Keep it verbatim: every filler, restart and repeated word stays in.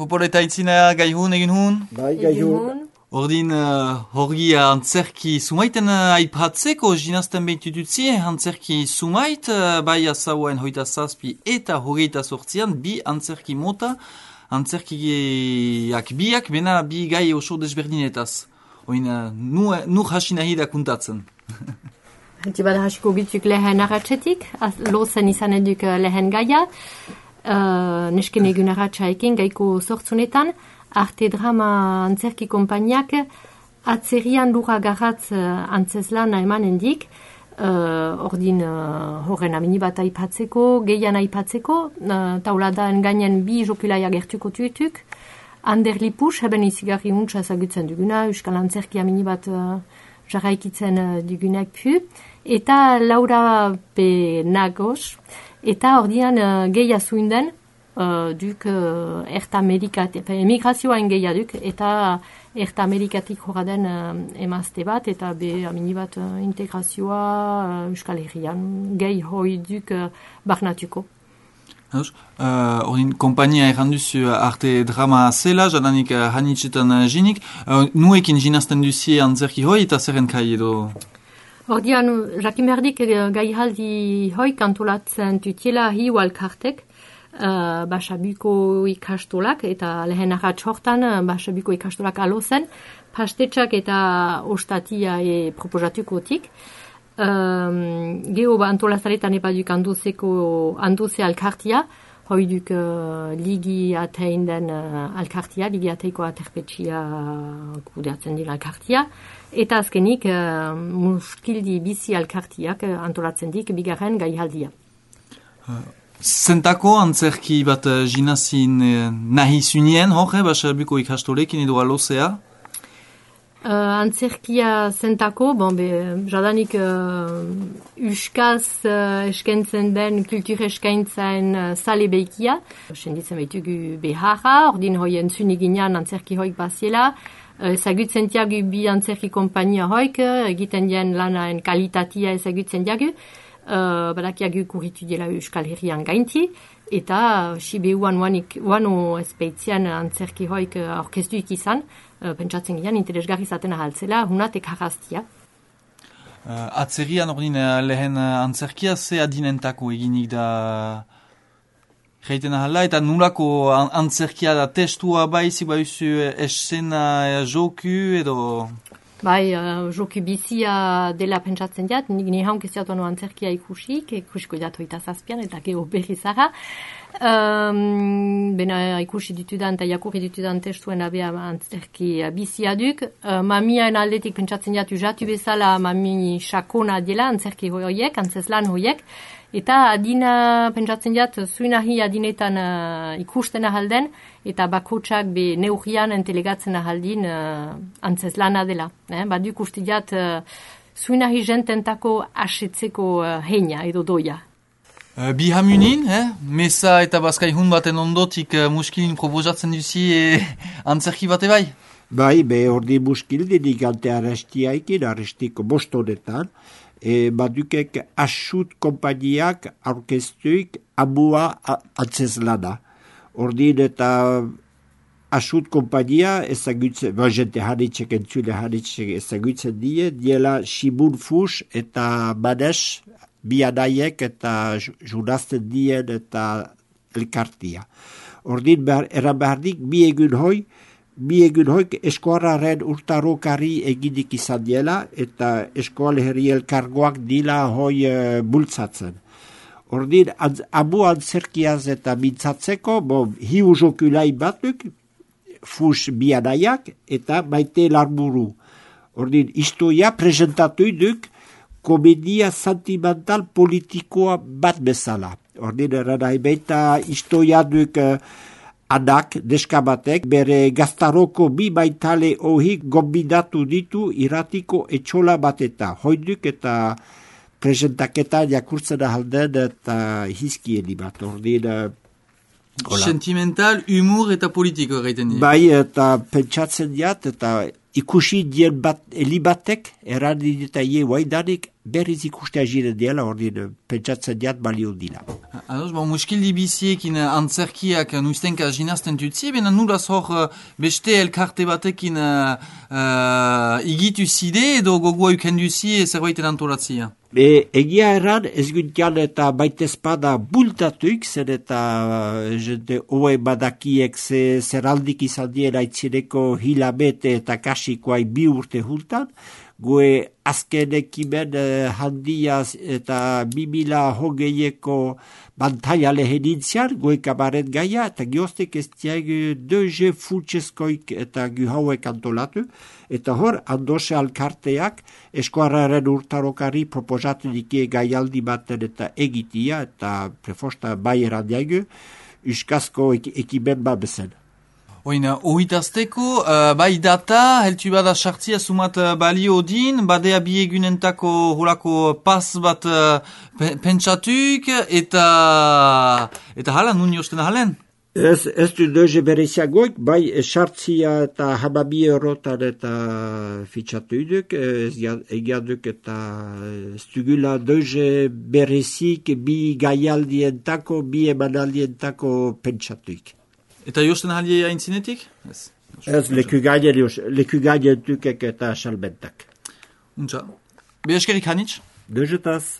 Popolo eta itzina gaihun egin hun? Bai, gaihun. Ordin, uh, horgi antzerki sumaiten uh, aipatzeko, jinazten behitututzi, antzerki sumait, uh, bai azauen hoita zazpi eta hogeita sortzian, bi antzerki mota, antzerkiak biak, bena bi gai oso desberdinetaz. Oin, uh, nu, nu hasinahi da kuntatzen. Tibada hasiko gituk lehen arratxetik, lozen izan eduk lehen gaia, uh, nesken egun arratxaekin gaiko sortzunetan, Arte Drama antzerki konpainiak atzerian lura garratz uh, antzeslan emanen dik, uh, ordin uh, horren amini bat aipatzeko, gehian aipatzeko, uh, tauladan gainen bi jokulaia gertuko tuetuk, Ander Lipus, heben izigarri untsa ezagutzen duguna, Euskal Antzerki amini bat uh, jarraikitzen uh, dugunak pu, eta Laura P. Nagos, eta ordian uh, gehi azuinden, Uh, duk uh, Erta Amerikat, emigrazioain gehia duk, eta Erta Amerikatik horra den uh, emazte bat, eta be amini bat uh, integrazioa uh, Euskal Herrian, gehi hoi duk uh, barnatuko. Haus, ordin, uh, kompainia erranduzu Arte Drama zela, jadanik uh, hanitzetan uh, jinik, uh, nuekin jinazten duzie antzerki hoi, eta zerren kai edo? Ordian, jakin berdik uh, gai haldi hoi kantolatzen tutiela hi walkartek, Uh, Basabuko ikastolak eta lehen arratx hortan uh, Basabuko ikastolak alozen, pastetxak eta ostatia e proposatukotik. Um, Geho ba antolazaretan epaduk anduzeko anduze alkartia, hoiduk uh, ligi atein den uh, alkartia, ligi ateiko aterpetxia kudeatzen dira alkartia, eta azkenik uh, muskildi bizi alkartiak uh, antolatzen dik bigarren gaihaldia. Uh. Zentako antzerki bat uh, jinazin uh, nahi zunien, hor, eh, Basabuko ikastolekin edo alozea? Uh, antzerkia zentako, bon, be, jadanik uh, uskaz uh, eskentzen den kultur eskaintzen uh, sale behikia. Senditzen behitugu beharra, ordin hoien zuniginan antzerki hoik baziela. Ezagutzen uh, diagu bi antzerki kompainia hoik, egiten dien lanaen kalitatia ezagutzen diagu. Uh, badakiagu kurritu dela Euskal Herrian gainti, eta Sibeuan wano espeitzian antzerki hoik uh, orkestuik izan, uh, pentsatzen gian interesgarri zaten ahaltzela, hunatek harraztia. Uh, atzerian ordin lehen antzerkia ze adinentako eginik da reiten ahala, eta nulako antzerkia da testua bai, ziba usu esena joku edo... Bai, uh, joku bizia dela pentsatzen diat, nik nihaun keziatuan antzerkia ikusik, ikusiko diat hoita zazpian, eta geho berri zara. Um, bena ikusi ditudan eta jakurri ditudan testuen abea antzerki bizia duk. Uh, mamiaen aldetik pentsatzen diat usatu bezala mami sakona dela antzerki horiek, antzeslan horiek. Eta adina pentsatzen diat zuinahi adinetan uh, ikusten ahalden, eta bakotsak be neurrian entelegatzen ahaldin uh, antzeslana dela. Eh? Baduk uste diat uh, zuinahi jententako asetzeko uh, heina edo doia. Uh, bi hamunin, eh? Mesa eta bazkaihun baten ondotik uh, muskilin proposatzen duzi e, antzerki bate bai? Bai, be ordi muskildinik ante arrestiaikin, arrestiko bostonetan, E, badukek asut kompainiak aurkeztuik amua antzeslana. Ordin eta asut kompainia ezagutzen, ba, jente hanitzek entzule hanitzek ezagutzen die, diela Simun Fus eta Manes, bi anaiek eta junazten dien eta elkartia. Ordin behar, eran behardik bi egun hoi, Bi egun hoik eskoarraren urtarokari eginik izan diela eta eskoal herri elkargoak dila hoi e, bultzatzen. Ordin, amu antzerkiaz eta mintzatzeko, bon, hiu jokulai batuk, Fus bianaiak eta Maite Larburu. Ordin, istoia presentatu duk komedia sentimental politikoa bat bezala. Ordin, eranai baita istoia duk... Adak, deskabatek, bere gaztaroko bi baitale ohik gombidatu ditu iratiko etxola bateta. Hoiduk eta presentaketa jakurtzen ahalden eta hizkieni bat. Ordin, sentimental, humor eta politiko gaiten dira. Bai, eta pentsatzen diat, eta ikusi dien bat, elibatek, errandi eta ie guaidanik, berriz ikustea jire diela, ordin pentsatzen diat balio dira. Ados, bon, muskildi biziekin antzerkiak nuiztenka jinazten tutzi, bena nuraz hor beste elkarte batekin uh, uh, igitu zide edo gogoa ukenduzi zerbaiten antolatzia? E, egia erran, ez guntian eta baitezpada bultatuik, zer eta jente hoe badakiek ze, zeraldik izan diera itzineko hilabete eta kasikoai bi urte hultan, goe azken ekimen eh, handiaz eta bimila hogeieko bantaia lehenintzian, goe kabaret gaia, eta gioztek ez diag deuze fultseskoik eta gu hauek antolatu, eta hor, andose alkarteak eskuarraren urtarokari proposatzen ikie gaialdi baten eta egitia, eta prefosta bai errandiago, uskazko ek ekimen bat bezen. Oina, ohitazteko, uh, bai data, heltu bada sartzia sumat uh, balio din, badea biegunentako holako pas bat uh, pentsatuk, eta eta hala, nun josten halen? Ez, ez du doze bereziagoik, bai sartzia eta hamabi eurotan eta fitxatu iduk, ez egiaduk eta ez dugula doze berezik bi gaialdientako, bi emanaldientako pentsatuik. Eta josten halie aintzinetik? Ez. Ez, leku gaien tukek eta salbentak. Untza. Be eskerik hanitz? Dozetaz.